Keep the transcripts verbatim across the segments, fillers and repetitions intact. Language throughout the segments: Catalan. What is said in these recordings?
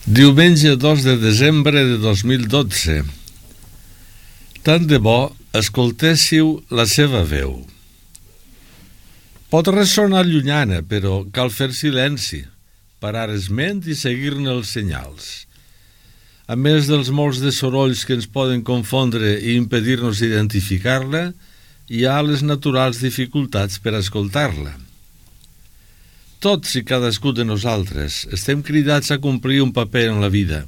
Diumenge dos de desembre de dos mil dotze. Tant de bo escoltéssiu la seva veu. Pot ressonar llunyana, però cal fer silenci, parar esment i seguir-ne els senyals. A més dels molts de sorolls que ens poden confondre i impedir-nos identificar-la, hi ha les naturals dificultats per escoltar-la. Tots i cadascú de nosaltres estem cridats a complir un paper en la vida.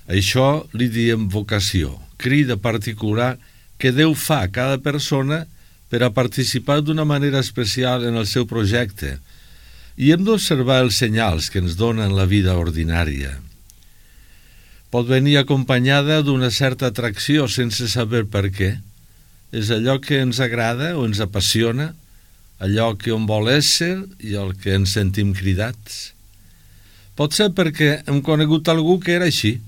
Això li diem vocació, crida particular que Déu fa a cada persona per a participar d'una manera especial en el seu projecte, i hem d'observar els senyals que ens donen la vida ordinària. Pot venir acompanyada d'una certa atracció sense saber per què. És allò que ens agrada o ens apassiona, allò que on vol ésser i al que ens sentim cridats. Pot ser perquè hem conegut algú que era així,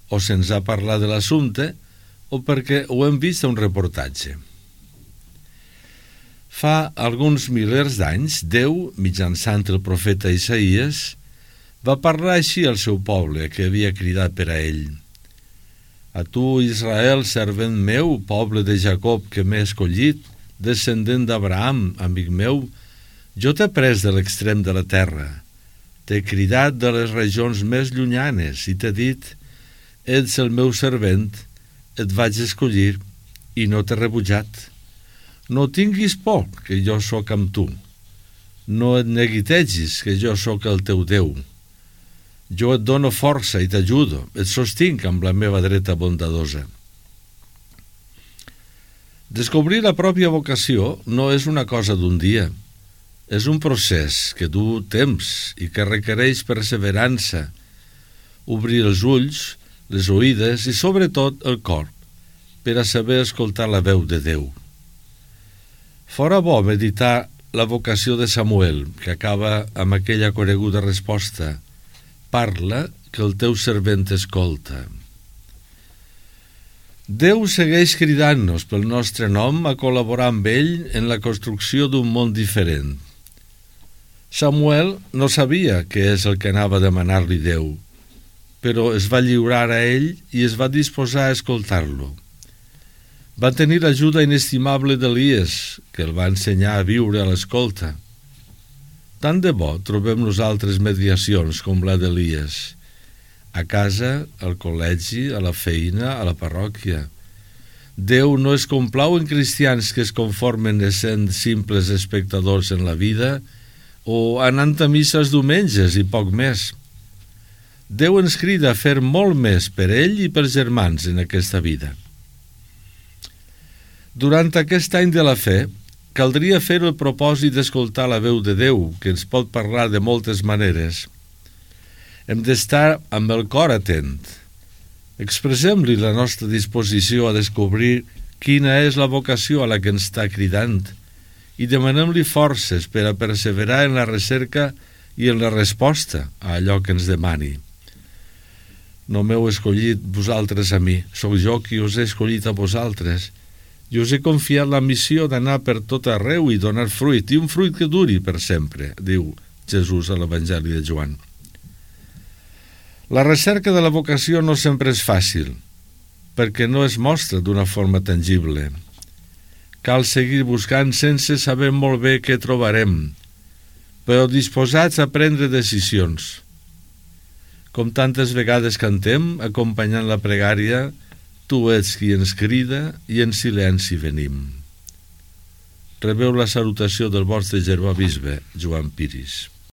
o se'ns ha parlat de l'assumpte, o perquè ho hem vist a un reportatge. Fa alguns milers d'anys, Déu, mitjançant el profeta Isaïes, va parlar així al seu poble que havia cridat per a ell. A tu, Israel, servent meu, poble de Jacob que m'he escollit, descendent d'Abraham, amic meu, jo t'he pres de l'extrem de la terra, t'he cridat de les regions més llunyanes i t'he dit, ets el meu servent, et vaig escollir i no t'he rebutjat. No tinguis por, que jo sóc amb tu. No et neguitegis, que jo sóc el teu Déu. Jo et dono força i t'ajudo, et sostinc amb la meva dreta bondadosa. Descobrir la pròpia vocació no és una cosa d'un dia. És un procés que du temps i que requereix perseverança, obrir els ulls, les oïdes i sobretot el cor per a saber escoltar la veu de Déu. Fora bo meditar la vocació de Samuel, que acaba amb aquella coneguda resposta: parla, que el teu servent escolta. Déu segueix cridant-nos pel nostre nom a col·laborar amb ell en la construcció d'un món diferent. Samuel no sabia què és el que anava a demanar-li Déu, però es va lliurar a ell i es va disposar a escoltar-lo. Va tenir l'ajuda inestimable d'Elies, que el va ensenyar a viure a l'escolta. Tant de bo trobem nosaltres mediacions com la d'Elies, a casa, al col·legi, a la feina, a la parròquia. Déu no es complau en cristians que es conformen essent simples espectadors en la vida o anant a missa els diumenges i poc més. Déu ens crida a fer molt més per ell i pels germans en aquesta vida. Durant aquest any de la fe, caldria fer el propòsit d'escoltar la veu de Déu, que ens pot parlar de moltes maneres. Hem d'estar amb el cor atent. Expressem-li la nostra disposició a descobrir quina és la vocació a la que ens està cridant i demanem-li forces per a perseverar en la recerca i en la resposta a allò que ens demani. No m'heu escollit vosaltres a mi, sóc jo qui us he escollit a vosaltres i us he confiat la missió d'anar per tot arreu i donar fruit, i un fruit que duri per sempre, diu Jesús a l'Evangeli de Joan. La recerca de la vocació no sempre és fàcil, perquè no es mostra d'una forma tangible. Cal seguir buscant sense saber molt bé què trobarem, però disposats a prendre decisions. Com tantes vegades cantem, acompanyant la pregària, tu ets qui ens crida i en silenci venim. Rebeu la salutació del vostre germà bisbe, Joan Piris.